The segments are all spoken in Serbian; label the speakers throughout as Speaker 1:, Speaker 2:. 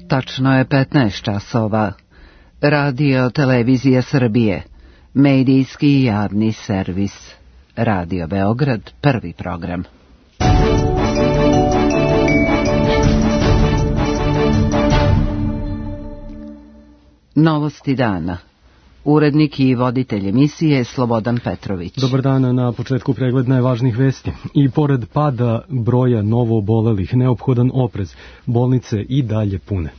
Speaker 1: Tačno je 15 časova. Radio Televizija Srbije, medijski i javni servis. Radio Beograd, prvi program. Novosti dana. Urednik i voditelj emisije Slobodan Petrović.
Speaker 2: Dobar dan, na početku pregled najvažnijih vesti. I pored pada broja novoobolelih, neophodan oprez, bolnice i dalje pune.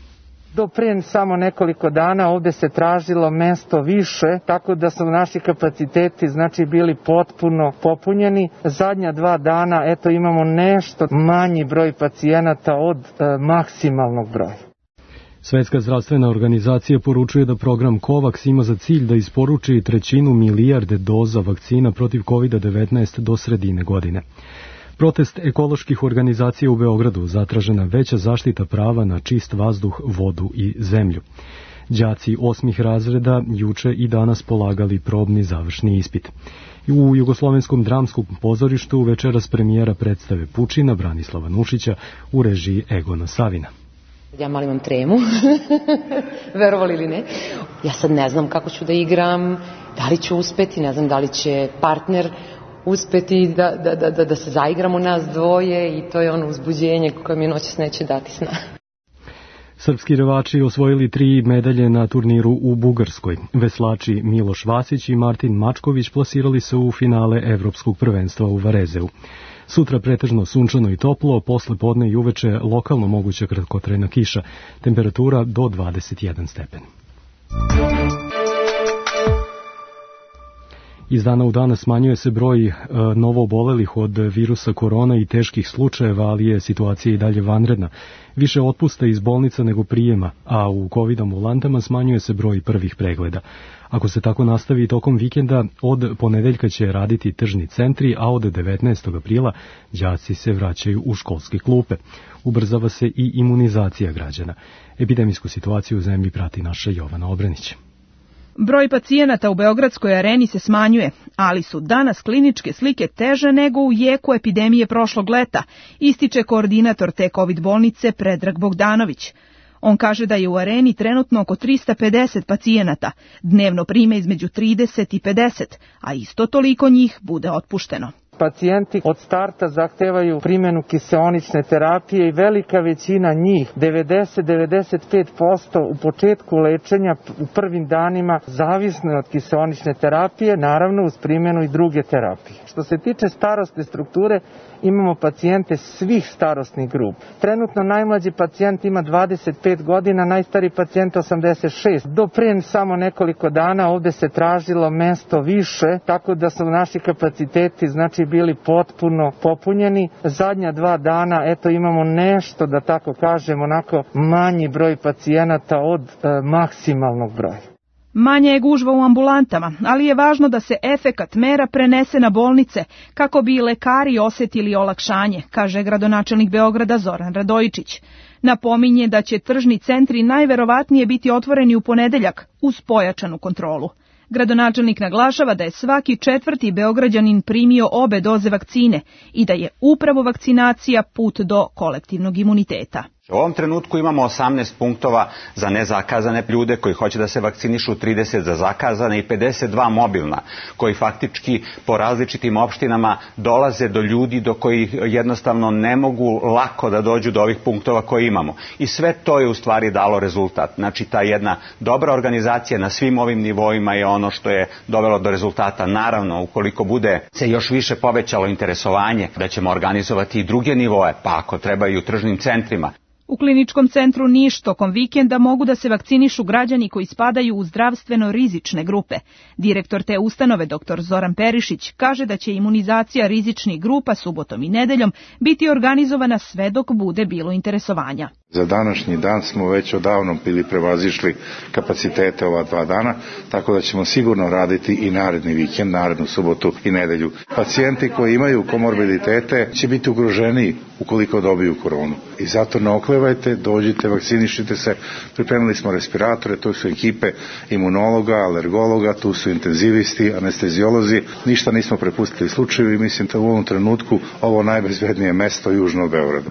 Speaker 3: Do prije samo nekoliko dana ovde se tražilo mesto više, tako da su naši kapaciteti bili potpuno popunjeni. Zadnja 2 dana imamo nešto manji broj pacijenata od maksimalnog broja.
Speaker 2: Svetska zdravstvena organizacija poručuje da program COVAX ima za cilj da isporuči 1/3 milijarde doza vakcina protiv COVID-19 do sredine godine. Protest ekoloških organizacija u Beogradu, zatražena veća zaštita prava na čist vazduh, vodu i zemlju. Đaci 8. razreda juče i danas polagali probni završni ispit. U Jugoslovenskom dramskom pozorištu večeras premijera predstave Pučina Branislava Nušića u režiji Egona Savina.
Speaker 4: Ja malo imam tremu, verovali ili ne. Ja sad ne znam kako ću da igram, da li ću uspeti, ne znam da li će partner uspeti da se zaigramo nas dvoje i to je ono uzbuđenje koje mi noćas neće dati sna.
Speaker 2: Srpski rvači osvojili 3 medalje na turniru u Bugarskoj. Veslači Miloš Vasić i Martin Mačković plasirali se u finale Evropskog prvenstva u Varezeu. Sutra pretežno sunčano i toplo, posle podne i uveče lokalno moguća kratkotrajna kiša, temperatura do 21 stepen. Iz dana u dana smanjuje se broj novoobolelih od virusa korona i teških slučajeva, ali je situacija i dalje vanredna. Više otpusta iz bolnica nego prijema, a u COVID ambulantama smanjuje se broj prvih pregleda. Ako se tako nastavi tokom vikenda, od ponedeljka će raditi tržni centri, a od 19. aprila đaci se vraćaju u školske klupe. Ubrzava se i imunizacija građana. Epidemijsku situaciju u zemlji prati naša Jovana Obrenić.
Speaker 5: Broj pacijenata u Beogradskoj areni se smanjuje, ali su danas kliničke slike teže nego u jeku epidemije prošlog leta, ističe koordinator te COVID bolnice Predrag Bogdanović. On kaže da je u areni trenutno oko 350 pacijenata, dnevno prime između 30 i 50, a isto toliko njih bude otpušteno.
Speaker 3: Pacijenti od starta zahtevaju primjenu kiseonične terapije i velika većina njih, 90-95% u početku lečenja u prvim danima zavisno je od kiseonične terapije, naravno uz primjenu i druge terapije. Što se tiče starosne strukture, imamo pacijente svih starosnih grupa. Trenutno najmlađi pacijent ima 25 godina, najstariji pacijent 86. Do prije samo nekoliko dana ovde se tražilo mesto više, tako da su naši kapaciteti bili potpuno popunjeni. Zadnja 2 dana imamo nešto, da tako kažem, onako manji broj pacijenata od maksimalnog broja.
Speaker 5: Manje je gužva u ambulantama, ali je važno da se efekat mera prenese na bolnice, kako bi lekari osjetili olakšanje, kaže gradonačelnik Beograda Zoran Radojičić. Napominje da će tržni centri najverovatnije biti otvoreni u ponedeljak uz pojačanu kontrolu. Gradonačelnik naglašava da je svaki 4. Beograđanin primio obe doze vakcine i da je upravo vakcinacija put do kolektivnog imuniteta.
Speaker 6: U ovom trenutku imamo 18 punktova za nezakazane ljude koji hoće da se vakcinišu, 30 za zakazane i 52 mobilna, koji faktički po različitim opštinama dolaze do ljudi do kojih jednostavno ne mogu lako da dođu do ovih punktova koje imamo. I sve to je u stvari dalo rezultat. Znači ta jedna dobra organizacija na svim ovim nivoima je ono što je dovelo do rezultata. Naravno, ukoliko bude se još više povećalo interesovanje, da ćemo organizovati i druge nivoe, pa ako treba i u tržnim centrima.
Speaker 5: U kliničkom centru Niš tokom vikenda mogu da se vakcinišu građani koji spadaju u zdravstveno rizične grupe. Direktor te ustanove, dr. Zoran Perišić, kaže da će imunizacija rizičnih grupa subotom i nedeljom biti organizovana sve dok bude bilo interesovanja.
Speaker 7: Za današnji dan smo već odavno bili prevazišli kapacitete ova 2 dana, tako da ćemo sigurno raditi i naredni vikend, narednu subotu i nedelju. Pacijenti koji imaju komorbiditete će biti ugroženiji ukoliko dobiju koronu. I zato ne oklevajte, dođite, vakcinišite se. Pripremili smo respiratore, tu su ekipe imunologa, alergologa, tu su intenzivisti, anesteziolozi. Ništa nismo prepustili slučaju i mislim da u ovom trenutku ovo najbezbednije mesto južno od Beograda.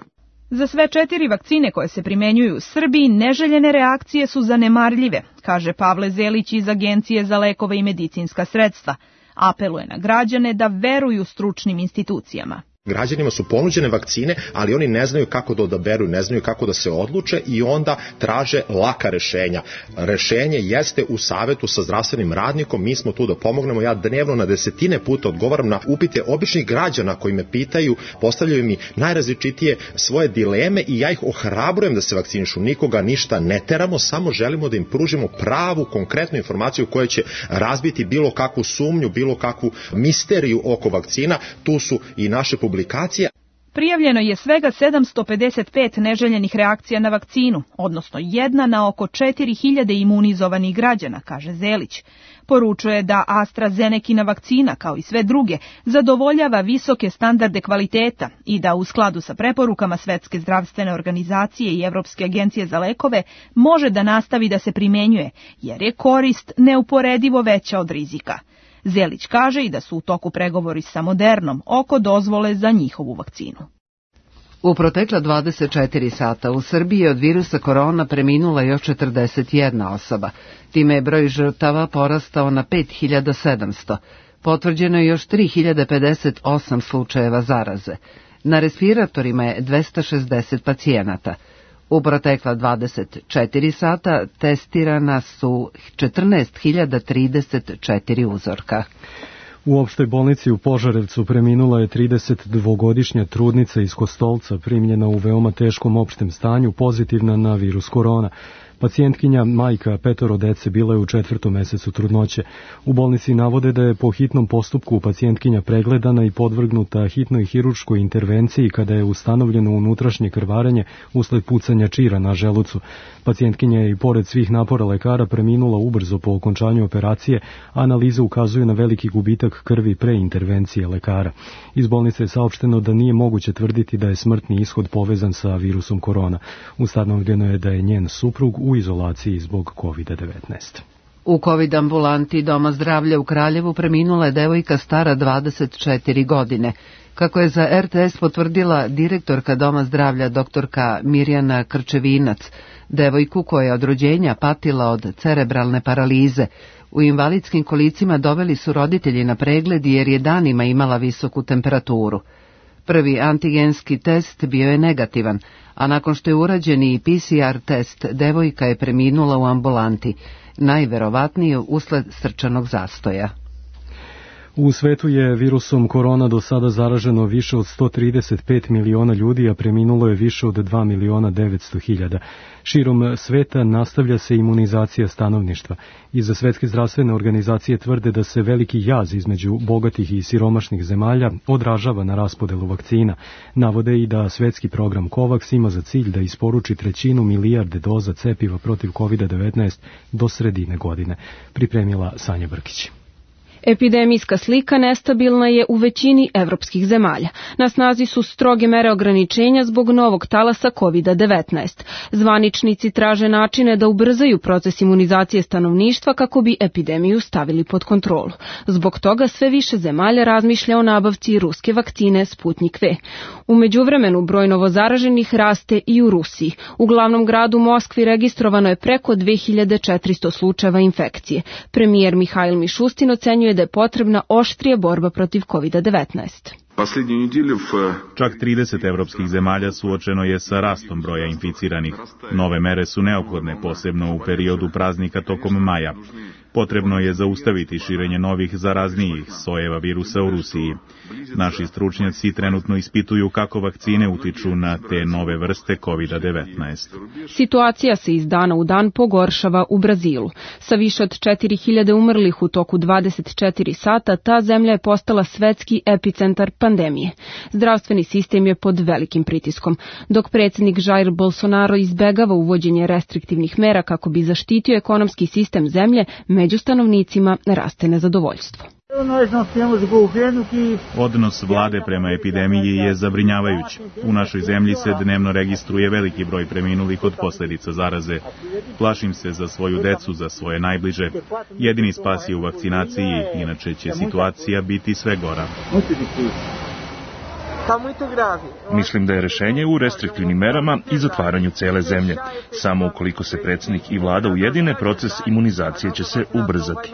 Speaker 5: Za sve 4 vakcine koje se primenjuju u Srbiji neželjene reakcije su zanemarljive, kaže Pavle Zelić iz Agencije za lekove i medicinska sredstva. Apeluje na građane da veruju stručnim institucijama.
Speaker 8: Građanima su ponuđene vakcine, ali oni ne znaju kako da odaberu, ne znaju kako da se odluče i onda traže laka rešenja. Rešenje jeste u savetu sa zdravstvenim radnikom, mi smo tu da pomognemo. Ja dnevno na desetine puta odgovaram na upite običnih građana koji me pitaju, postavljaju mi najrazličitije svoje dileme i ja ih ohrabrujem da se vakcinišu. Nikoga ništa ne teramo, samo želimo da im pružimo pravu, konkretnu informaciju koja će razbiti bilo kakvu sumnju, bilo kakvu misteriju oko vakcina. Tu su i naše publikacije.
Speaker 5: Prijavljeno je svega 755 neželjenih reakcija na vakcinu, odnosno 1 na oko 4000 imunizovanih građana, kaže Zelić. Poručuje da AstraZenekina vakcina, kao i sve druge, zadovoljava visoke standarde kvaliteta i da u skladu sa preporukama Svetske zdravstvene organizacije i Evropske agencije za lekove može da nastavi da se primenjuje, jer je korist neuporedivo veća od rizika. Zelić kaže i da su u toku pregovori sa Modernom oko dozvole za njihovu vakcinu.
Speaker 1: U protekla 24 sata u Srbiji od virusa korona preminula još 41 osoba. Time je broj žrtava porastao na 5700. Potvrđeno je još 3058 slučajeva zaraze. Na respiratorima je 260 pacijenata. U protekla 24 sata testirana su 14.034 uzorka.
Speaker 2: U opštoj bolnici u Požarevcu preminula je 32-godišnja trudnica iz Kostolca, primljena u veoma teškom opštem stanju, pozitivna na virus korona. Pacijentkinja, majka 5 dece, bila je u 4. mesecu trudnoće. U bolnici navode da je po hitnom postupku pacijentkinja pregledana i podvrgnuta hitnoj hirurškoj intervenciji kada je ustanovljeno unutrašnje krvarenje usled pucanja čira na želucu. Pacijentkinja je i pored svih napora lekara preminula ubrzo po okončanju operacije, a analize ukazuju na veliki gubitak krvi pre intervencije lekara. Iz bolnice je saopšteno da nije moguće tvrditi da je smrtni ishod povezan sa virusom korona. Ustanovljeno je da je njen suprug u izolaciji zbog COVID-19.
Speaker 1: U COVID ambulanti Doma zdravlja u Kraljevu preminula je devojka stara 24 godine. Kako je za RTS potvrdila direktorka Doma zdravlja doktorka Mirjana Krčevinac, devojku koja je od rođenja patila od cerebralne paralize, u invalidskim kolicima doveli su roditelji na pregled jer je danima imala visoku temperaturu. Prvi antigenski test bio je negativan, a nakon što je urađen i PCR test, devojka je preminula u ambulanti, najverovatnije usled srčanog zastoja.
Speaker 2: U svetu je virusom korona do sada zaraženo više od 135 miliona ljudi, a preminulo je više od 2.900.000. Širom sveta nastavlja se imunizacija stanovništva. Iza Svetske zdravstvene organizacije tvrde da se veliki jaz između bogatih i siromašnih zemalja odražava na raspodelu vakcina. Navode i da svetski program COVAX ima za cilj da isporuči 1/3 milijarde doza cepiva protiv COVID-19 do sredine godine. Pripremila Sanja Brkić.
Speaker 9: Epidemijska slika nestabilna je u većini evropskih zemalja. Na snazi su stroge mere ograničenja zbog novog talasa COVID-19. Zvaničnici traže načine da ubrzaju proces imunizacije stanovništva kako bi epidemiju stavili pod kontrolu. Zbog toga sve više zemalja razmišlja o nabavci ruske vakcine Sputnik V. U međuvremenu broj novozaraženih raste i u Rusiji. U glavnom gradu Moskvi registrovano je preko 2400 slučajeva infekcije. Premijer Mihajl Mišustin ocenjuje da je potrebna oštrija borba protiv COVID-19.
Speaker 10: Čak 30 evropskih zemalja suočeno je sa rastom broja inficiranih. Nove mere su neophodne, posebno u periodu praznika tokom maja. Potrebno je zaustaviti širenje novih zaraznijih sojeva virusa u Rusiji. Naši stručnjaci trenutno ispituju kako vakcine utiču na te nove vrste COVID-19.
Speaker 9: Situacija se iz dana u dan pogoršava u Brazilu. Sa više od 4000 umrlih u toku 24 sata, ta zemlja je postala svetski epicentar pandemije. Zdravstveni sistem je pod velikim pritiskom. Dok predsjednik Jair Bolsonaro izbegava uvođenje restriktivnih mera kako bi zaštitio ekonomski sistem zemlje, među stanovnicima raste nezadovoljstvo.
Speaker 10: Odnos vlade prema epidemiji je zabrinjavajući. U našoj zemlji se dnevno registruje veliki broj preminulih od posljedica zaraze. Plašim se za svoju decu, za svoje najbliže. Jedini spas je u vakcinaciji, inače će situacija biti sve gora. Mislim da je rešenje u restriktivnim merama i zatvaranju cele zemlje. Samo ukoliko se predsjednik i vlada ujedine, proces imunizacije će se ubrzati.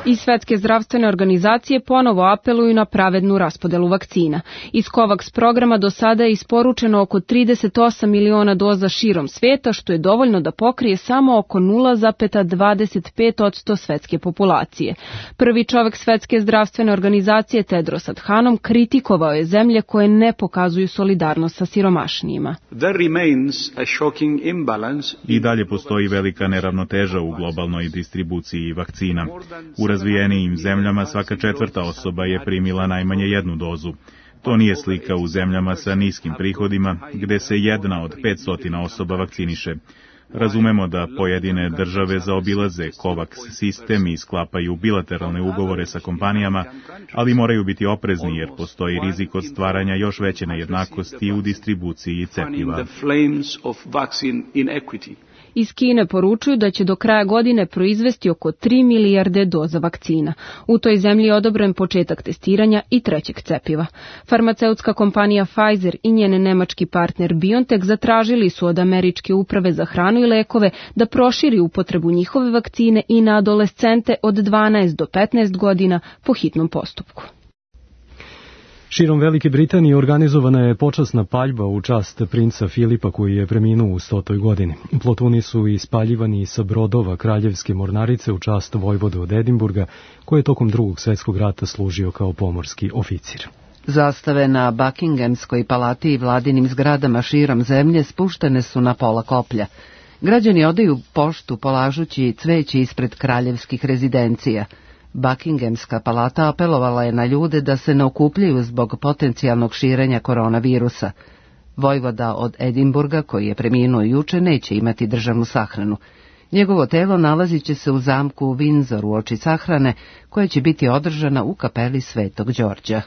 Speaker 9: I Svetske zdravstvene organizacije ponovo apeluju na pravednu raspodelu vakcina. Iz COVAX programa do sada je isporučeno oko 38 miliona doza širom sveta, što je dovoljno da pokrije samo oko 0,25% svetske populacije. Prvi čovjek Svetske zdravstvene organizacije Tedros Adhanom kritikovao je zemlje koje ne pokazuju solidarnost sa siromašnijima.
Speaker 10: I dalje postoji velika neravnoteža u globalnoj distribuciji vakcina. U razvijenijim zemljama svaka četvrta osoba je primila najmanje jednu dozu. To nije slika u zemljama sa niskim prihodima, gde se 1 od 500 osoba vakciniše. Razumemo da pojedine države zaobilaze COVAX sistem i sklapaju bilateralne ugovore sa kompanijama, ali moraju biti oprezni jer postoji rizik od stvaranja još veće nejednakosti u distribuciji cepiva.
Speaker 9: Iz Kine poručuju da će do kraja godine proizvesti oko 3 milijarde doza vakcina. U toj zemlji je odobren početak testiranja i trećeg cepiva. Farmaceutska kompanija Pfizer i njen nemački partner BioNTech zatražili su od Američke uprave za hranu i lekove da proširi upotrebu njihove vakcine i na adolescente od 12 do 15 godina po hitnom postupku.
Speaker 2: Širom Velike Britanije organizovana je počasna paljba u čast princa Filipa koji je preminuo u 100. godini. Plotuni su ispaljivani sa brodova Kraljevske mornarice u čast vojvode od Edinburga, koji je tokom Drugog svjetskog rata služio kao pomorski oficir.
Speaker 1: Zastave na Buckinghamskoj palati i vladinim zgradama širom zemlje spuštene su na pola koplja. Građani odaju poštu polažući cveće ispred kraljevskih rezidencija. Buckinghamska palata apelovala je na ljude da se ne okupljaju zbog potencijalnog širenja koronavirusa. Vojvoda od Edinburga, koji je preminuo juče, neće imati državnu sahranu. Njegovo telo nalazit će se u zamku u Windsor uoči sahrane, koja će biti održana u kapeli Svetog Đorđa.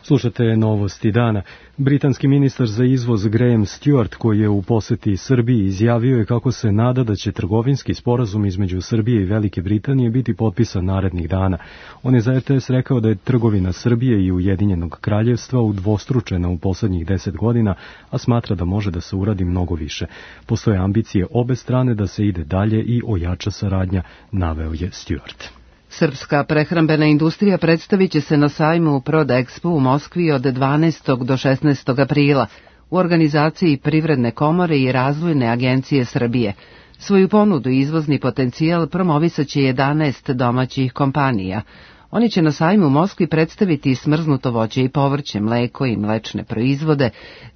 Speaker 2: Slušate novosti dana. Britanski ministar za izvoz Graham Stewart, koji je u poseti Srbiji, izjavio je kako se nada da će trgovinski sporazum između Srbije i Velike Britanije biti potpisan narednih dana. On je za RTS rekao da je trgovina Srbije i Ujedinjenog kraljevstva udvostručena u poslednjih 10 godina, a smatra da može da se uradi mnogo više. Postoje ambicije obe strane da se ide dalje i ojača saradnja, naveo je Stewart.
Speaker 1: Srpska prehrambena industrija predstavit će se na sajmu Prodexpo u Moskvi od 12. do 16. aprila u organizaciji Privredne komore i Razvojne agencije Srbije. Svoju ponudu i izvozni potencijal promovisat će 11 domaćih kompanija. Oni će na sajmu u Moskvi predstaviti smrznuto voće i povrće, mleko i mlečne proizvode,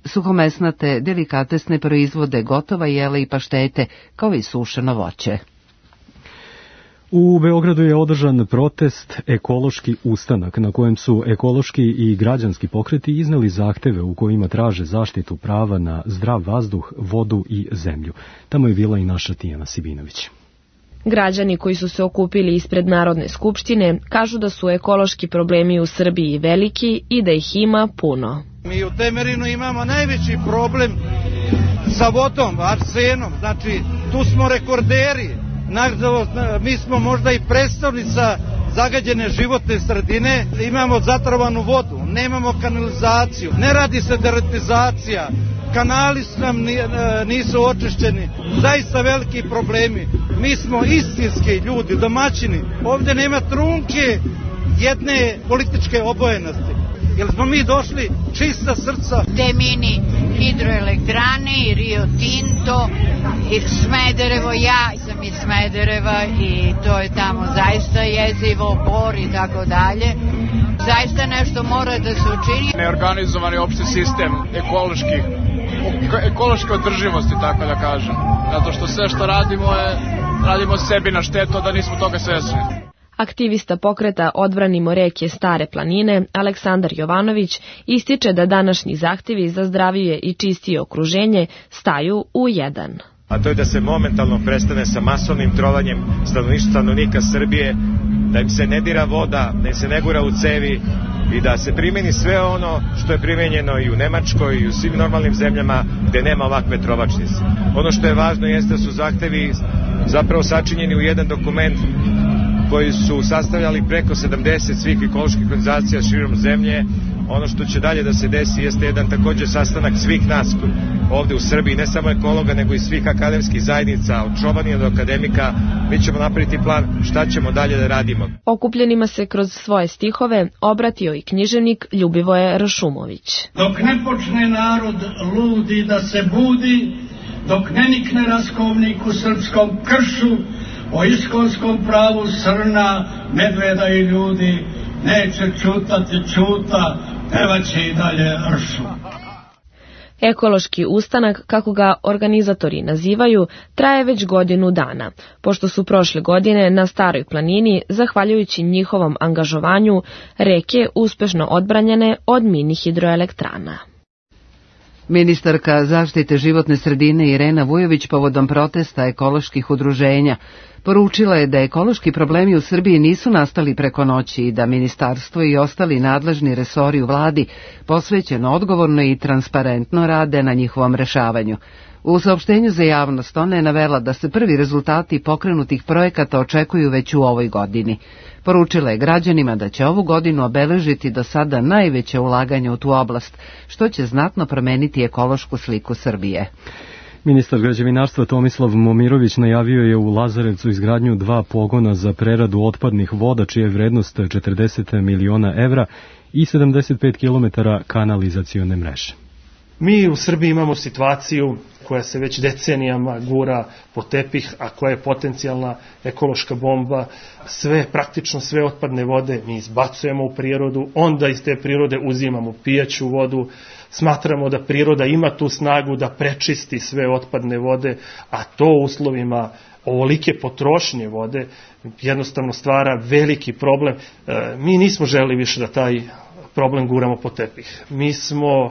Speaker 1: suhomesnate, delikatesne proizvode, gotova jela i paštete, kao i sušeno voće.
Speaker 2: U Beogradu je održan protest Ekološki ustanak, na kojem su ekološki i građanski pokreti izneli zahteve u kojima traže zaštitu prava na zdrav vazduh, vodu i zemlju. Tamo je bila i naša Tijana Sibinović.
Speaker 11: Građani koji su se okupili ispred Narodne skupštine kažu da su ekološki problemi u Srbiji veliki i da ih ima puno.
Speaker 12: Mi u Temerinu imamo najveći problem sa vodom, arsenom, znači tu smo rekorderi. Mi smo možda i predstavnica zagađene životne sredine, imamo zatrovanu vodu, nemamo kanalizaciju, ne radi se deratizacija, kanali nam nisu očišćeni, zaista veliki problemi. Mi smo istinski ljudi, domaćini, ovdje nema trunke jedne političke obojenosti. Jer smo mi došli čista srca.
Speaker 13: Te mini hidroelektrane i Rio Tinto i Smederevo, ja sam iz Smedereva i to je tamo zaista jezivo, Bor i tako dalje. Zaista nešto mora da se učini.
Speaker 14: Neorganizovani opšti sistem ekološke održivosti, tako da kažem. Zato što sve što radimo sebi na štetu, da nismo toga svesni.
Speaker 11: Aktivista pokreta Odbranimo reke Stare planine, Aleksandar Jovanović, ističe da današnji zahtevi za zdravije i čistije okruženje staju u jedan.
Speaker 15: A to je da se momentalno prestane sa masovnim trovanjem stanovnika Srbije, da im se ne dira voda, da im se ne gura u cevi i da se primeni sve ono što je primenjeno i u Nemačkoj i u svim normalnim zemljama gde nema ovakve trovačnice. Ono što je važno jeste da su zahtevi zapravo sačinjeni u jedan dokument koji su sastavljali preko 70 svih ekoloških organizacija širom zemlje, ono što će dalje da se desi jeste jedan takođe sastanak svih nas ovde u Srbiji, ne samo ekologa, nego i svih akademskih zajednica, od čobanija do akademika. Mi ćemo napraviti plan šta ćemo dalje da radimo.
Speaker 11: Okupljenima se kroz svoje stihove obratio i književnik Ljubivoje Rašumović.
Speaker 16: Dok ne počne narod ludi da se budi, dok ne nikne raskovnik u srpskom kršu, o iskonskom pravu srna, medveda i ljudi, neće čutati čuta, pevaće i dalje ršu.
Speaker 11: Ekološki ustanak, kako ga organizatori nazivaju, traje već godinu dana, pošto su prošle godine na Staroj planini, zahvaljujući njihovom angažovanju, reke uspešno odbranjene od mini hidroelektrana.
Speaker 1: Ministarka zaštite životne sredine Irena Vujović povodom protesta ekoloških udruženja poručila je da ekološki problemi u Srbiji nisu nastali preko noći i da ministarstvo i ostali nadležni resori u vladi posvećeno, odgovorno i transparentno rade na njihovom rešavanju. U saopštenju za javnost ona je navela da se prvi rezultati pokrenutih projekata očekuju već u ovoj godini. Poručila je građanima da će ovu godinu obeležiti do sada najveće ulaganje u tu oblast, što će znatno promeniti ekološku sliku Srbije.
Speaker 2: Ministar građevinarstva Tomislav Momirović najavio je u Lazarevcu izgradnju 2 pogona za preradu otpadnih voda, čija je vrednost 40 miliona evra i 75 km kanalizacione mreže.
Speaker 17: Mi u Srbiji imamo situaciju koja se već decenijama gura po tepih, a koja je potencijalna ekološka bomba. Praktično sve otpadne vode mi izbacujemo u prirodu, onda iz te prirode uzimamo pijaću vodu. Smatramo da priroda ima tu snagu da prečisti sve otpadne vode, a to u uslovima ovolike potrošnje vode jednostavno stvara veliki problem. Mi nismo želeli više da taj problem guramo po tepih. Mi smo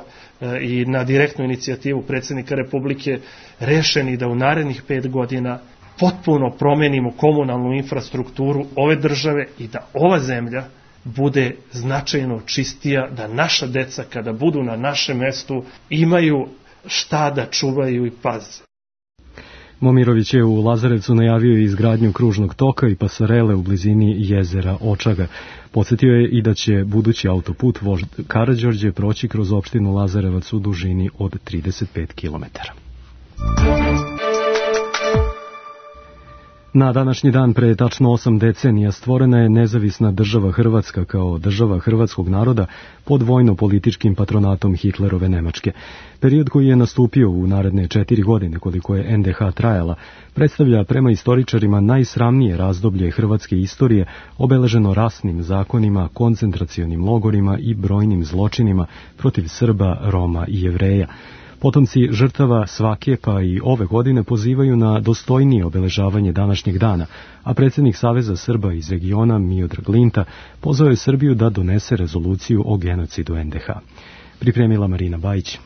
Speaker 17: i na direktnu inicijativu predsjednika Republike rešeni da u narednih 5 godina potpuno promenimo komunalnu infrastrukturu ove države i da ova zemlja bude značajno čistija, da naša deca kada budu na našem mestu imaju šta da čuvaju i paze.
Speaker 2: Momirović je u Lazarevcu najavio izgradnju kružnog toka i pasarele u blizini jezera Očaga. Podsjetio je i da će budući autoput vožd Karađorđe proći kroz opštinu Lazarevac u dužini od 35 km. Na današnji dan pre tačno 8 decenija stvorena je nezavisna država Hrvatska kao država hrvatskog naroda pod vojno-političkim patronatom Hitlerove Nemačke. Period koji je nastupio u naredne 4 godine koliko je NDH trajala, predstavlja prema istoričarima najsramnije razdoblje hrvatske istorije, obeleženo rasnim zakonima, koncentracionim logorima i brojnim zločinima protiv Srba, Roma i Jevreja. Potomci žrtava svake pa i ove godine pozivaju na dostojnije obeležavanje današnjeg dana, a predsjednik Saveza Srba iz regiona Miodrag Linta pozvao je Srbiju da donese rezoluciju o genocidu NDH. Pripremila Marina Bajić.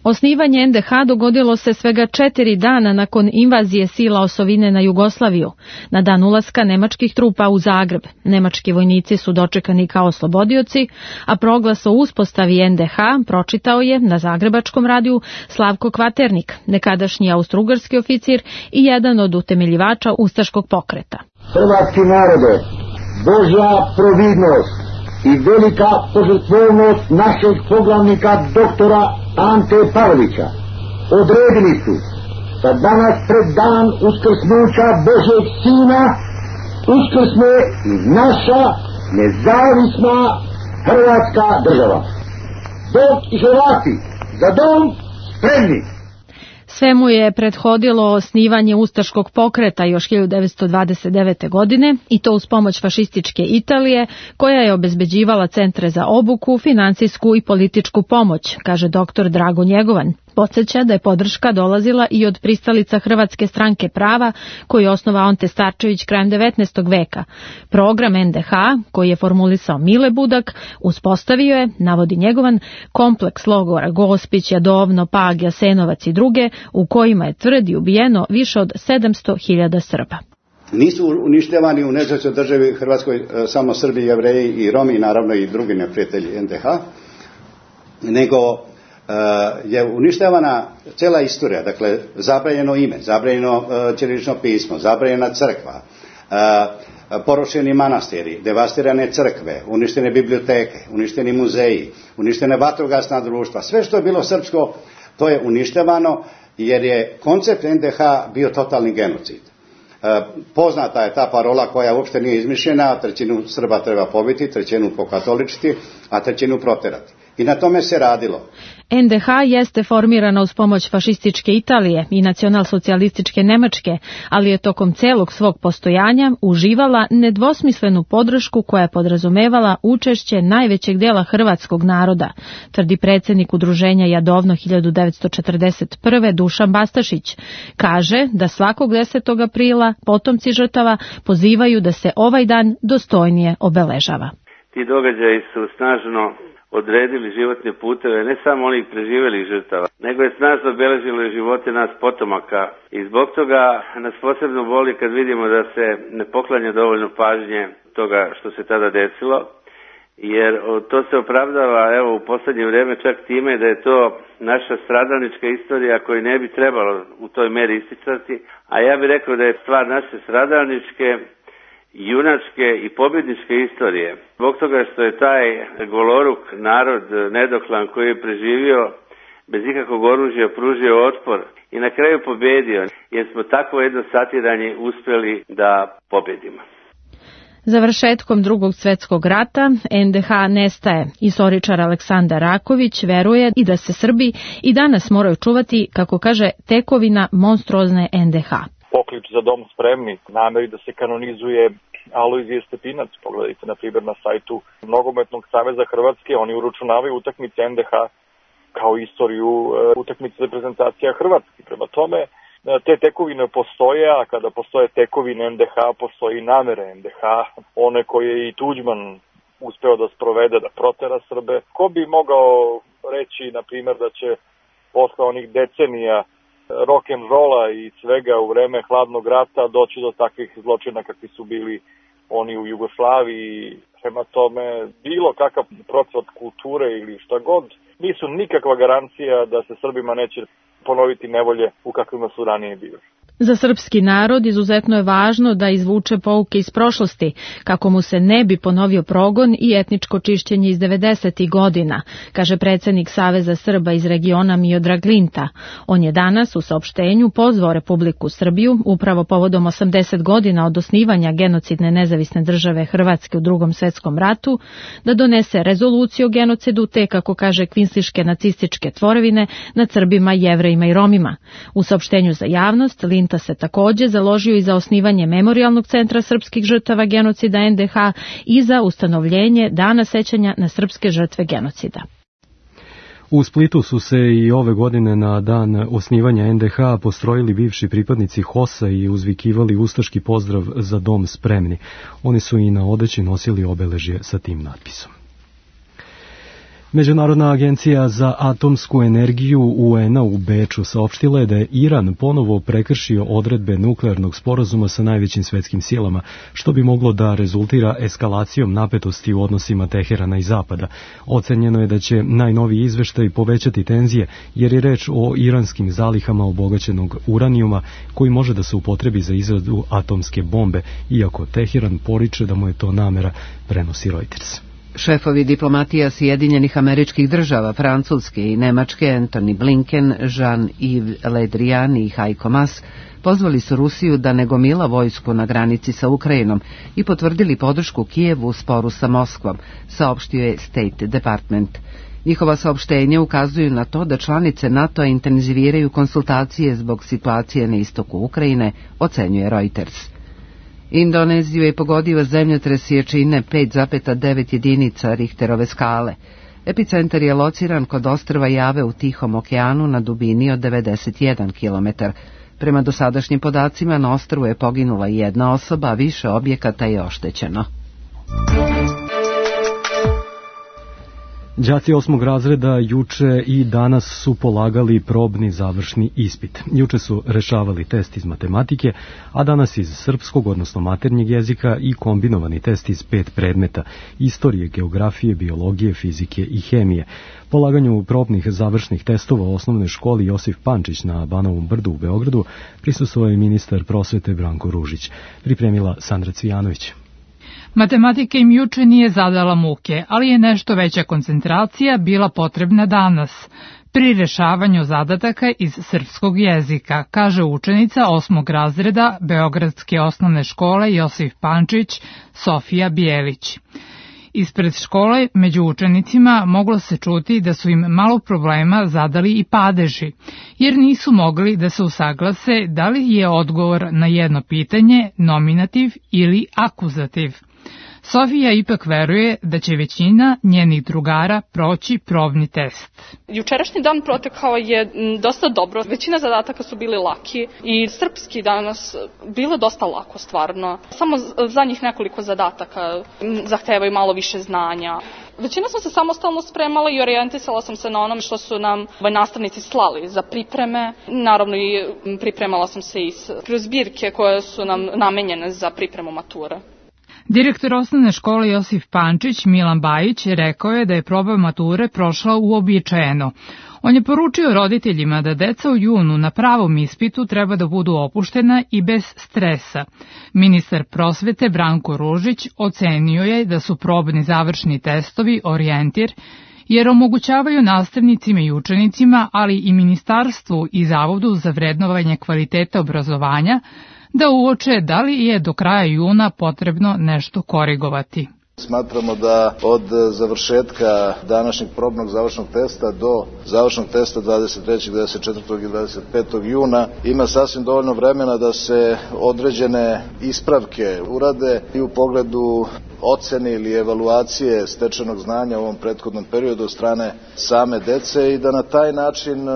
Speaker 18: Osnivanje NDH dogodilo se svega 4 dana nakon invazije sila osovine na Jugoslaviju, na dan ulaska nemačkih trupa u Zagreb. Nemački vojnici su dočekani kao oslobodioci, a proglas o uspostavi NDH pročitao je na zagrebačkom radiju Slavko Kvaternik, nekadašnji austrougarski oficir i jedan od utemeljivača ustaškog pokreta.
Speaker 19: Hrvatski narode, Božja providnost i velika požrtvovnost našeg poglavnika doktora Ante Pavelića odredili su da danas pred dan uskrsnuća Božjeg Sina uskrsne i naša nezavisna Hrvatska država. Dok i Hrvati za dom spremni.
Speaker 18: Svemu je prethodilo osnivanje ustaškog pokreta još 1929. godine i to uz pomoć fašističke Italije, koja je obezbeđivala centre za obuku, finansijsku i političku pomoć, kaže dr. Drago Njegovan. Podsjeća da je podrška dolazila i od pristalica Hrvatske stranke prava, koju je osnovao Ante Starčević krajem 19. veka. Program NDH, koji je formulisao Mile Budak, uspostavio je, navodi Njegovan, kompleks logora Gospić, Jadovno, Pag, Jasenovac i druge, u kojima je tvrdi ubijeno više od 700.000 Srba.
Speaker 20: Nisu uništavani u nezavisnoj državi Hrvatskoj samo Srbi, Jevreji i Romi, naravno i drugi neprijatelji NDH, nego je uništavana cela istorija, dakle zabranjeno ime, zabranjeno ćirilično pismo, zabranjena crkva, porušeni manastiri, devastirane crkve, uništene biblioteke, uništeni muzeji, uništene vatrogasna društva, sve što je bilo srpsko, to je uništavano jer je koncept NDH bio totalni genocid. Poznata je ta parola koja uopšte nije izmišljena, trećinu Srba treba pobiti, trećinu pokatoličiti, a trećinu proterati. I na tome se radilo.
Speaker 18: NDH jeste formirana uz pomoć fašističke Italije i nacionalsocijalističke Nemačke, ali je tokom celog svog postojanja uživala nedvosmislenu podršku koja je podrazumevala učešće najvećeg dela hrvatskog naroda, tvrdi predsjednik udruženja Jadovno 1941. Dušan Bastašić. Kaže da svakog 10. aprila potomci žrtava pozivaju da se ovaj dan dostojnije obeležava.
Speaker 21: Ti događaji su snažno odredili životne puteve ne samo onih preživelih žrtava, nego je snažno obeležilo i živote nas potomaka i zbog toga nas posebno boli kad vidimo da se ne poklanja dovoljno pažnje toga što se tada desilo, jer to se opravdava evo u poslednje vrijeme čak time da je to naša stradalnička istorija koju ne bi trebalo u toj meri isticati, a ja bih rekao da je stvar naše stradalničke, junačke i pobjedničke istorije. Zbog toga što je taj goloruk narod nedoklan koji je preživio bez ikakvog oružja pružio otpor i na kraju pobjedio, jer smo takvo jedno satiranje uspjeli da pobjedimo.
Speaker 18: Završetkom Drugog svjetskog rata NDH nestaje. Istoričar Aleksandar Raković veruje i da se Srbi i danas moraju čuvati, kako kaže, tekovina monstruozne NDH.
Speaker 22: Poklič za dom spremni, nameri da se kanonizuje Alojzije Stepinac. Pogledajte na primjer na sajtu Nogometnog saveza Hrvatske, oni uračunavaju utakmice NDH kao istoriju utakmice reprezentacija Hrvatske. Prema tome, te tekovine postoje, a kada postoje tekovine NDH, postoji i namere NDH, one koje je i Tuđman uspeo da sprovede, da protera Srbe. Ko bi mogao reći, na primjer, da će posle onih decenija rock'n'rolla i svega u vreme hladnog rata doći do takvih zločina kakvi su bili oni u Jugoslaviji. Prema tome, bilo kakav procvat kulture ili šta god, nisu nikakva garancija da se Srbima neće ponoviti nevolje u kakvima su ranije bili.
Speaker 18: Za srpski narod izuzetno je važno da izvuče pouke iz prošlosti, kako mu se ne bi ponovio progon i etničko čišćenje iz 90. godina, kaže predsjednik Saveza Srba iz regiona Miodrag Linta. On je danas u saopštenju pozvao Republiku Srbiju, upravo povodom 80 godina od osnivanja genocidne nezavisne države Hrvatske u Drugom svjetskom ratu, da donese rezoluciju o genocidu te, kako kaže, kvinsliške nacističke tvorevine nad Srbima, Jevrejima i Romima. U saopštenju za javnost Linta se također založio i za osnivanje Memorijalnog centra srpskih žrtava genocida NDH i za ustanovljenje Dana sećanja na srpske žrtve genocida.
Speaker 2: U Splitu su se i ove godine na dan osnivanja NDH postrojili bivši pripadnici HOS-a i uzvikivali ustaški pozdrav za dom spremni. Oni su i na odeći nosili obeležje sa tim natpisom. Međunarodna agencija za atomsku energiju UN-a u Beču saopštila je da je Iran ponovo prekršio odredbe nuklearnog sporazuma sa najvećim svetskim silama, što bi moglo da rezultira eskalacijom napetosti u odnosima Teherana i Zapada. Ocenjeno je da će najnoviji izveštaj povećati tenzije, jer je reč o iranskim zalihama obogaćenog uranijuma koji može da se upotrebi za izradu atomske bombe, iako Teheran poriče da mu je to namera, prenosi Reuters.
Speaker 1: Šefovi diplomatija Sjedinjenih Američkih Država, Francuske i Nemačke, Antony Blinken, Jean-Yves Le Drian i Heiko Maas, pozvali su Rusiju da ne gomila vojsku na granici sa Ukrajinom i potvrdili podršku Kijevu u sporu sa Moskvom, saopštio je State Department. Njihova saopštenja ukazuju na to da članice NATO-a intenziviraju konsultacije zbog situacije na istoku Ukrajine, ocenjuje Reuters. Indoneziju je pogodio zemljotres jačine 5,9 jedinica Richterove skale. Epicentar je lociran kod ostrva Jave u Tihom okeanu na dubini od 91 km. Prema dosadašnjim podacima na ostrvu je poginula jedna osoba, a više objekata je oštećeno.
Speaker 2: Đaci 8. razreda juče i danas su polagali probni završni ispit. Juče su rešavali test iz matematike, a danas iz srpskog, odnosno maternjeg jezika i kombinovani test iz 5 predmeta: istorije, geografije, biologije, fizike i hemije. Polaganju probnih završnih testova u osnovnoj školi Josif Pančić na Banovom Brdu u Beogradu prisustvovao je ministar prosvete Branko Ružić. Pripremila Sandra Cvijanović.
Speaker 3: Matematika im juče nije zadala muke, ali je nešto veća koncentracija bila potrebna danas pri rešavanju zadataka iz srpskog jezika, kaže učenica 8. razreda Beogradske osnovne škole Josif Pančić Sofija Bijelić. Ispred škole među učenicima moglo se čuti da su im malo problema zadali i padeži, jer nisu mogli da se usaglase da li je odgovor na jedno pitanje nominativ ili akuzativ. Sofija ipak veruje da će većina njenih drugara proći probni test.
Speaker 4: Jučerašnji dan protekao je dosta dobro. Većina zadataka su bili laki i srpski danas bilo dosta lako stvarno. Samo za njih nekoliko zadataka zahtevaju malo više znanja. Većina sam se samostalno spremala i orijentisala sam se na onom što su nam nastavnici slali za pripreme. Naravno i pripremala sam se i kroz zbirke koje su nam namenjene za pripremu mature.
Speaker 3: Direktor osnovne škole Josif Pančić Milan Bajić rekao je da je proba mature prošla uobičajeno. On je poručio roditeljima da deca u junu na pravom ispitu treba da budu opuštena i bez stresa. Ministar prosvete Branko Ružić ocenio je da su probni završni testovi orijentir, jer omogućavaju nastavnicima i učenicima, ali i ministarstvu i Zavodu za vrednovanje kvaliteta obrazovanja, da uoče da li je do kraja juna potrebno nešto korigovati.
Speaker 23: Smatramo da od završetka današnjeg probnog završnog testa do završnog testa 23., 24. i 25. juna ima sasvim dovoljno vremena da se određene ispravke urade i u pogledu ocene ili evaluacije stečenog znanja u ovom prethodnom periodu od strane same dece i da na taj način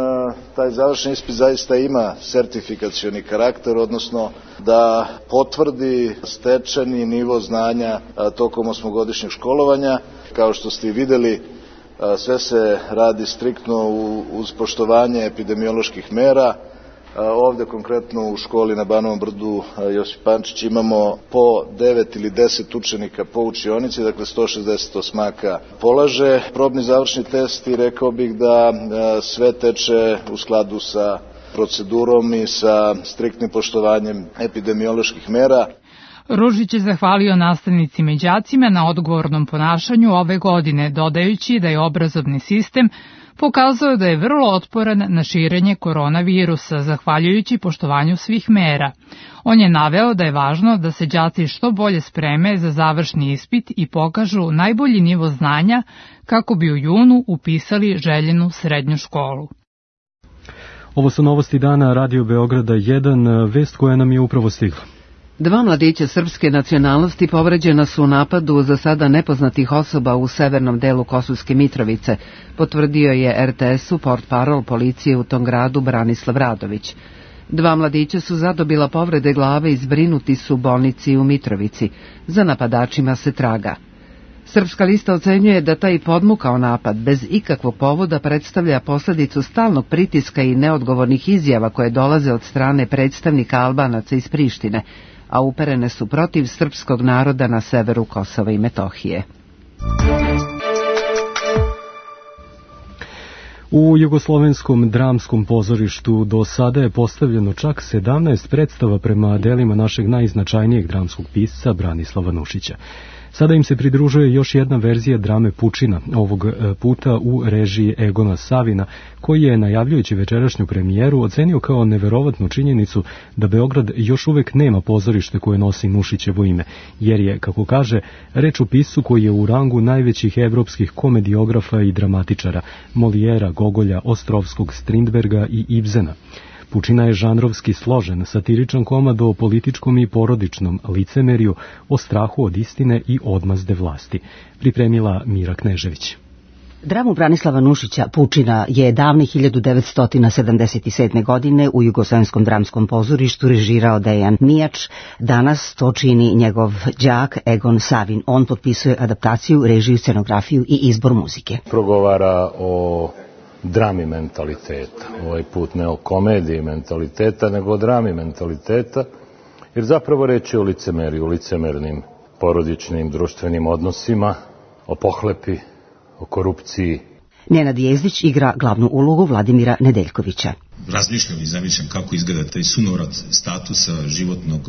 Speaker 23: taj završni ispit zaista ima sertifikacioni karakter, odnosno da potvrdi stečeni nivo znanja tokom osmogodišnjeg školovanja. Kao što ste i videli, sve se radi striktno uz poštovanje epidemioloških mera. Ovde konkretno u školi na Banovom brdu Josip Pančić imamo po 9 ili 10 učenika po učionici, dakle 160 osmaka polaže probni završni test i rekao bih da sve teče u skladu sa procedurom i sa striktnim poštovanjem epidemioloških mera.
Speaker 3: Ružić je zahvalio nastavnicima i đacima na odgovornom ponašanju ove godine, dodajući da je obrazovni sistem pokazao da je vrlo otporan na širenje koronavirusa, zahvaljujući poštovanju svih mera. On je naveo da je važno da se đaci što bolje spreme za završni ispit i pokažu najbolji nivo znanja kako bi u junu upisali željenu srednju školu.
Speaker 2: Ovo su novosti dana Radio Beograda 1, vest koja nam je upravo stigla.
Speaker 1: 2 mladića srpske nacionalnosti povređena su u napadu za sada nepoznatih osoba u severnom delu Kosovske Mitrovice, potvrdio je RTS-u portparol policije u tom gradu Branislav Radović. 2 mladića su zadobila povrede glave i zbrinuti su u bolnici u Mitrovici. Za napadačima se traga. Srpska lista ocenjuje da taj podmukao napad bez ikakvog povoda predstavlja posljedicu stalnog pritiska i neodgovornih izjava koje dolaze od strane predstavnika Albanaca iz Prištine, a uperene su protiv srpskog naroda na severu Kosova i Metohije.
Speaker 2: U Jugoslovenskom dramskom pozorištu do sada je postavljeno čak 17 predstava prema delima našeg najznačajnijeg dramskog pisca Branislava Nušića. Sada im se pridružuje još jedna verzija drame Pučina, ovog puta u režiji Egona Savina, koji je, najavljujući večerašnju premijeru, ocenio kao neverovatnu činjenicu da Beograd još uvek nema pozorište koje nosi Nušićevo ime, jer je, kako kaže, reč o piscu koji je u rangu najvećih evropskih komediografa i dramatičara, Molijera, Gogolja, Ostrovskog, Strindberga i Ibsena. Pučina je žanrovski složen, satiričan komad o političkom i porodičnom licemerju, o strahu od istine i odmazde vlasti. Pripremila Mira Knežević.
Speaker 24: Dramu Branislava Nušića Pučina je davne 1977. godine u Jugoslovenskom dramskom pozorištu režirao Dejan Mijač. Danas to čini njegov đak Egon Savin. On potpisuje adaptaciju, režiju, scenografiju i izbor muzike.
Speaker 25: Progovara o drami mentaliteta, ovaj put ne o komediji mentaliteta, nego o drami mentaliteta, jer zapravo reč je o licemeriju, o licemernim porodičnim, društvenim odnosima, o pohlepi, o korupciji.
Speaker 24: Nenad Jezdić igra glavnu ulogu Vladimira Nedeljkovića.
Speaker 26: Razmišljam i zamišljam kako izgleda taj sunovrat statusa životnog,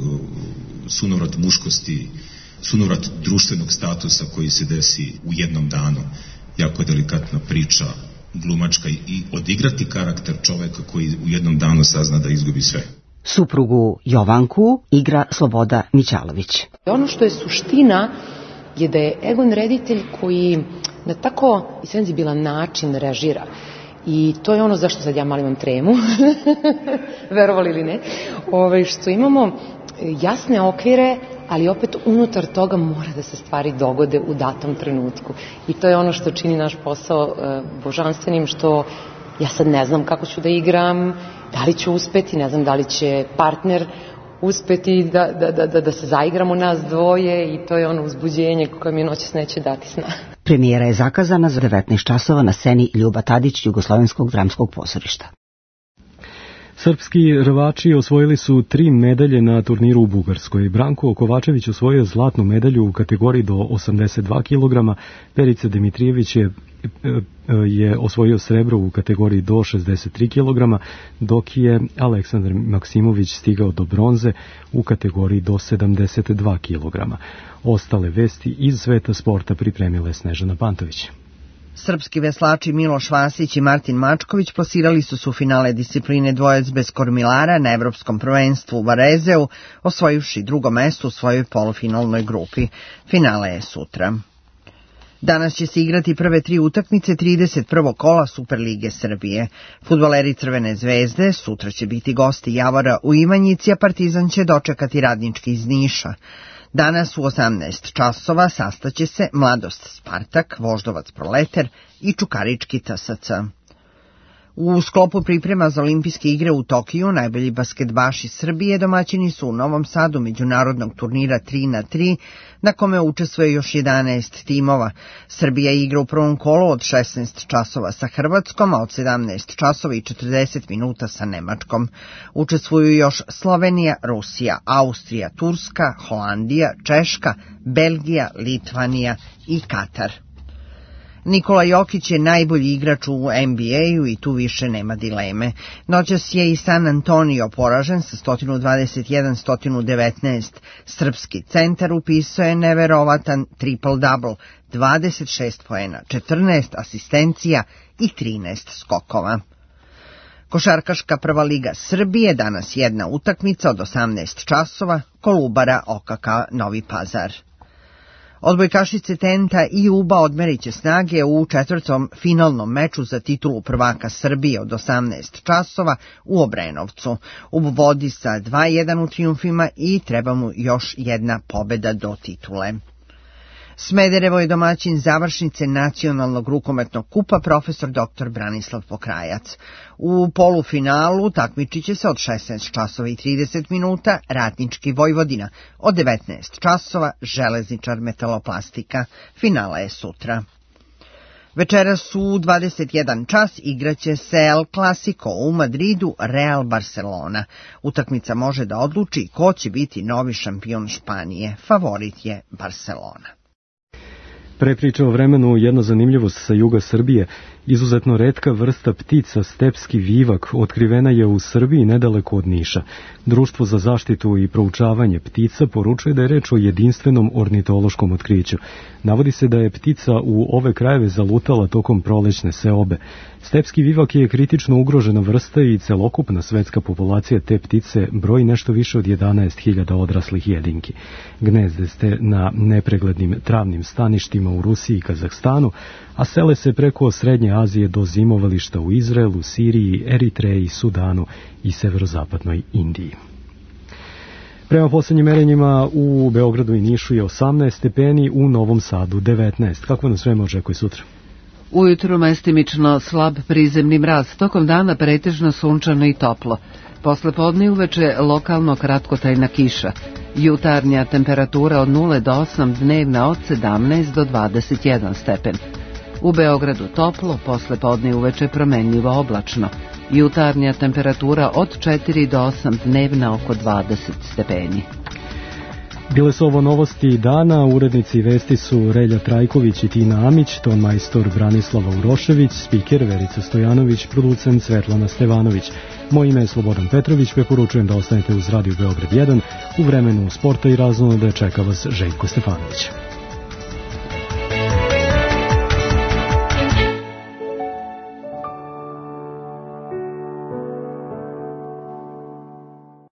Speaker 26: sunovrat muškosti,
Speaker 5: sunovrat društvenog statusa koji se desi u jednom danu. Jako je delikatna priča, glumačka, i odigrati karakter čoveka koji u jednom danu sazna da izgubi sve.
Speaker 24: Suprugu Jovanku igra Sloboda Mićalović.
Speaker 6: Ono što je suština je da je Egon reditelj koji na tako senzibilan način režira. I to je ono zašto sad ja malo imam tremu, verovali ili ne, što imamo jasne okvire, ali opet unutar toga mora da se stvari dogode u datom trenutku. I to je ono što čini naš posao božanstvenim, što ja sad ne znam kako ću da igram, da li ću uspeti, ne znam da li će partner uspeti da se zaigramo nas dvoje, i to je ono uzbuđenje koje mi noćas neće dati sna.
Speaker 24: Premijera je zakazana za 19 časova na sceni Ljuba Tadić Jugoslovenskog dramskog pozorišta.
Speaker 2: Srpski rvači osvojili su 3 medalje na turniru u Bugarskoj. Branko Kovačević osvojio zlatnu medalju u kategoriji do 82 kg, Perica Dimitrijević je osvojio srebro u kategoriji do 63 kg, dok je Aleksandar Maksimović stigao do bronze u kategoriji do 72 kg. Ostale vesti iz sveta sporta pripremile Snežana Pantović.
Speaker 7: Srpski veslači Miloš Vasić i Martin Mačković plasirali su finale discipline dvojac bez kormilara na Evropskom prvenstvu u Varezeu, osvojivši drugo mesto u svojoj polufinalnoj grupi. Finale je sutra. Danas će se igrati prve 3 utakmice 31. kola Superlige Srbije. Fudbaleri Crvene zvezde sutra će biti gosti Javora u Ivanjici, a Partizan će dočekati Radnički iz Niša. Danas u 18 časova sastaće se Mladost Spartak, Voždovac Proleter i Čukarički TSC. U sklopu priprema za olimpijske igre u Tokiju najbolji basketbaši Srbije domaćini su u Novom Sadu međunarodnog turnira 3x3, na kome učestvuje još 11 timova. Srbija igra u prvom kolu od 16 časova sa Hrvatskom, a od 17 časova i 40 minuta sa Nemačkom. Učestvuju još Slovenija, Rusija, Austrija, Turska, Holandija, Češka, Belgija, Litvanija i Katar. Nikola Jokić je najbolji igrač u NBA-u i tu više nema dileme. Noćas je i San Antonio poražen sa 121-119. Srpski centar upisao je neverovatan triple-double, 26 poena, 14 asistencija i 13 skokova. Košarkaška prva liga Srbije, danas jedna utakmica od 18 časova, Kolubara OKK Novi Pazar. Odbojkašice Tenta i Uba odmerit će snage u četvrtom finalnom meču za titulu prvaka Srbije od 18 časova u Obrenovcu. Ub vodi sa 2-1 u trijumfima i treba mu još jedna pobeda do titule. Smederevo je domaćin završnice nacionalnog rukometnog kupa profesor dr. Branislav Pokrajac. U polufinalu takmičit će se od 16 časova i 30 minuta Radnički Vojvodina, od 19 časova Železničar Metaloplastika. Finala je sutra. Večeras u 21 čas igraće se El Clasico u Madridu, Real Barcelona. Utakmica može da odluči ko će biti novi šampion Španije. Favorit je Barcelona.
Speaker 2: Prepriča o vremenu jedna zanimljivost sa juga Srbije. Izuzetno retka vrsta ptica, stepski vivak, otkrivena je u Srbiji nedaleko od Niša. Društvo za zaštitu i proučavanje ptica poručuje da je reč o jedinstvenom ornitološkom otkriću. Navodi se da je ptica u ove krajeve zalutala tokom prolećne seobe. Stepski vivak je kritično ugrožena vrsta i celokupna svetska populacija te ptice broji nešto više od 11.000 odraslih jedinki. Gnezde ste na nepreglednim travnim staništima u Rusiji i Kazahstanu, a sele se preko Srednje Azije do zimovališta u Izraelu, Siriji, Eritreji, Sudanu i severozapadnoj Indiji. Prema poslednjim merenjima u Beogradu i Nišu je 18 stepeni, u Novom Sadu 19. Kako nas vreme očekuje sutra?
Speaker 1: Ujutru mestimično slab prizemni mraz, tokom dana pretežno sunčano i toplo. Posle podne i uveče lokalno kratkotrajna kiša. Jutarnja temperatura od 0 do 8, dnevna od 17 do 21 stepen. U Beogradu toplo, posle podne i uveče promenljivo oblačno. Jutarnja temperatura od 4 do 8, dnevna oko 20 stepeni.
Speaker 2: Bile su ovo novosti dana, urednici vesti su Relja Trajković i Tina Amić, ton majstor Branislava Urošević, spiker Verica Stojanović, producent Svetlana Stevanović. Moje ime je Slobodan Petrović, preporučujem da ostanete uz Radio Beograd 1. U vremenu sporta i razonode čeka vas Željko Stefanović.